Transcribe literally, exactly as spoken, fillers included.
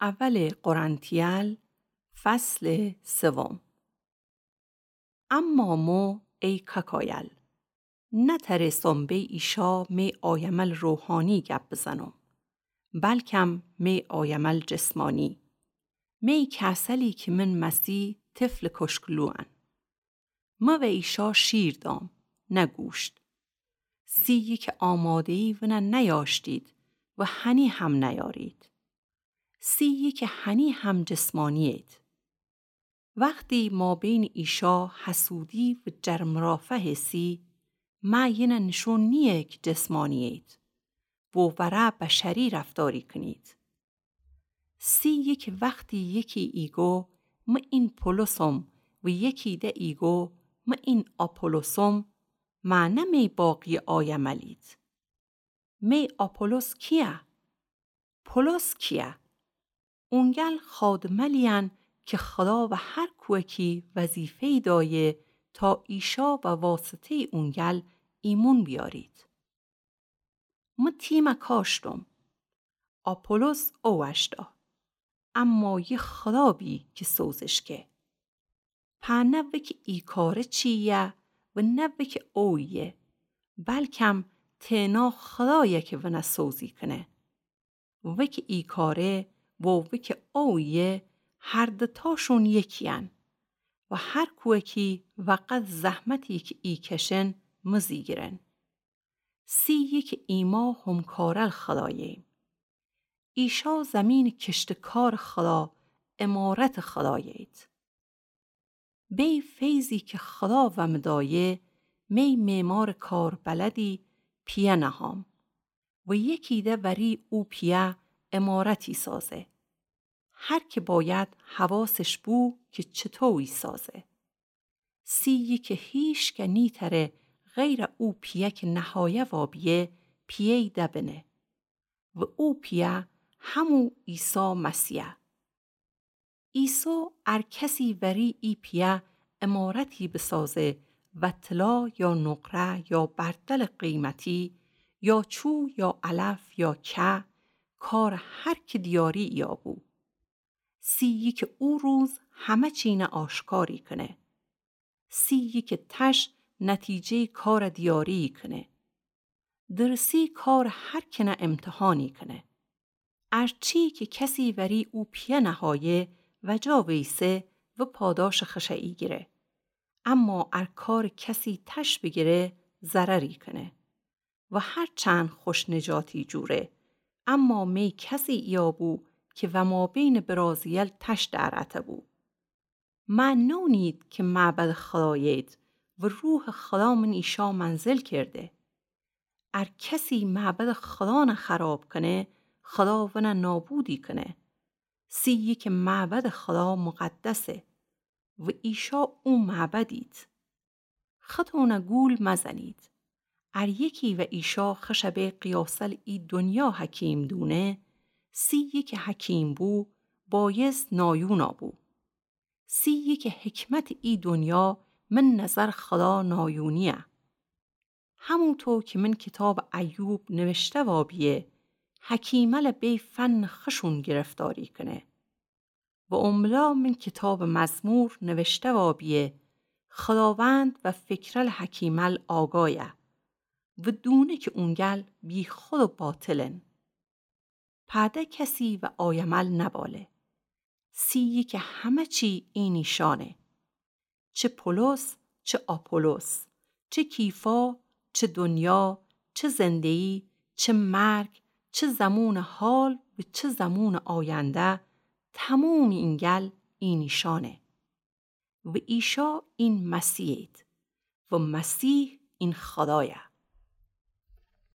اولٚ قرنتیل، فصلٚ سوم. اما مو ای کاکایل، نترسم بی ایشا می آیمل روحانی گب بزنم، بلکم می آیمل جسمانی. می کسلی کی من مسی طفلٚ کشکلوأن. مو و ایشا شیر دام، نه گوشت. سیی کی آماده‌یی ونه نیاشتید و هنی هم نیارید. سیی کی هنی هم جسمانیید. وختی مابینٚ ایشا حسودی و جرمرافه سی، مه یینه نشون نیه کی جسمانیید و وره بشری رفتاری کنید. سیی کی وختی یکی ایگو مه این پولسم و یکی ده ایگو مه این آپولوسم، مه نه می باقی آیملید. می آپولوس کیه؟ پولس کیه؟ اونگل خادملیأن کی خدا و هر کوه کی وظیفه‌یی دایه تا ایشا و واسطه‌یٚ اونگل ایمون بیارید. مه تیمه کاشتم، آپولوس اووشتا، اما یه خدا بی کی سوزش که. په نه وکی ای کاره چییه و نه وکی اویه، بلکم تنها خدایه کی ونه سوزی کنه. وکی ای کاره و وکی اویه هر دوتاشون یکیأن و هر کوه کی وقد زحمتی کی ای کشن مزی گیرن. سیی کی ایما همکارل خداییم. ایشا زمینٚ کشتکارٚ خدا، عمارتٚ خدایید. بی فیضی کی خدا ومه دایه، می معمارٚ کاربلدی پیه نهام و یکی ده وری او پیه عمارتی سازه. هر کی باید حواسش بو کی چطویی سازه. سیی کی هیشکه نیتره غیر او پیه کی نهایه وابیه پیه‌یی دبنه و او پیه همو عیسی مسیحه. عیسی ار کسی وری ای پیه عمارتی بسازه و طلا یا نقره یا بردلٚ قیمتی یا چو یا علف یا که، کارٚ هر کی دیاری ایابو. سیی کی او روز همه چینه آشکاری کنه. سیی کی تش نتیجه‌یٚ کارٚ دیاری کنه. درسی کارٚ هر کنه امتحانی کنه. ار چی کی کسی وری او پیه نهایه و جا ویسه و پاداشٚ خشه‌یی گیره. اما ار کارٚ کسی تش بیگیره ضرری کنه. و هر چند خوش نجاتی جوره، اما می کسی ایابو کی ومابینٚ برازیل تش در اته‌بو. مه نونید کی معبدٚ خدایید و روحٚ خدا من ایشا منزل کرده. ار کسی معبدٚ خدانه خراب کنه، خدا ونه نابودی کنه. سیی کی معبدٚ خدا مقدسه و ایشا او معبدید. ختونه گول مزنید. ار یکی و ایشا خشٚ به قیاسل ای دنیا حکیم دونه، سیی کی حکیم بو، بایست نایونا بو. سیی کی حکمتٚ ای دنیا من نظرٚ خدا نایونیه. همونطو کی من کیتابٚ ایوب نوشته وابیه، حکیمل به فنٚ خشون گرفتاری کنه. و املا من کیتابٚ مزمور نوشته وابیه، خداوند و فکرل حکیمل آگایه و دونه کی اونگل بیخود و باطلن. پده کسی و آیمل نباله. سیی کی همه چی اینیشانه. چه پولس، چه آپولس، چه کیفا، چه دنیا، چه زنده‌یی، چه مرگ، چه زمونٚ حال و چه زمونٚ آینده، تمومی اینگل اینیشانه. و ایشا این مسیحید و مسیح این خدایه.